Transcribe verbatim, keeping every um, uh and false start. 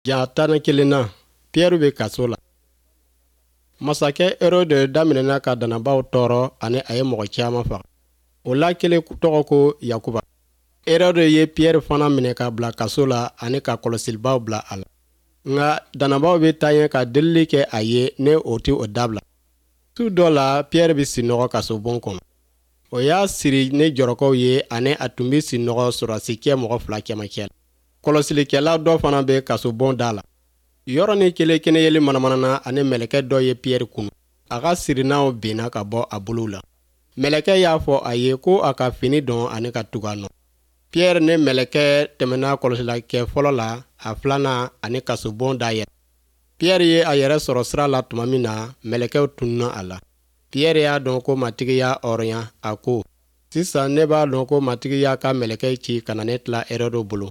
Ja tan ni kelen na, Pierre bɛ kaso la. Masakɛ Herode daminɛna ka dannabaw tɔɔrɔ ani a ye mɔgɔ caman faga. O la kelen tɔgɔ ko Yakuba. Herode ye Pierre fana minɛ ka bila kaso la ani ka kɔlɔsilibaw bila a la. Nka dannabaw bɛ taa ɲɛ ka delili kɛ a ye ne o tɛ o dabila. Su dɔ la, Pierre bɛ sinɔgɔ kasobon kɔnɔ. O y'a siri ni jɔrɔkɔw ye ani a tun bɛ sinɔgɔ sɔrɔdasikɛ mɔgɔ fila cɛmancɛ la. Kɔlɔsilikɛla dɔ fana bɛ kasobon da la. Yɔrɔnin kelen kɛnɛyeli manamanana ani mɛlɛkɛ dɔ ye Pierre kunu. A ka sirinaw binna ka bɔ a bolow la. Mɛlɛkɛ y'a fɔ a ye ko a ka fini don ani ka tugu a nɔ. Pierre ni mɛlɛkɛ tɛmɛna kɔlɔsilikɛ fɔlɔ la, a filanan ani kasobon da yɛlɛ. Pierre ye a yɛrɛ sɔrɔ sira la tuma min na, mɛlɛkɛw tununna a la. Pierre y'a dɔn ko Matigi y'a hɔrɔnya, a ko: Sisan ne b'a dɔn ko Matigi y'a ka mɛlɛkɛ ci ka na ne tila Herode bolo.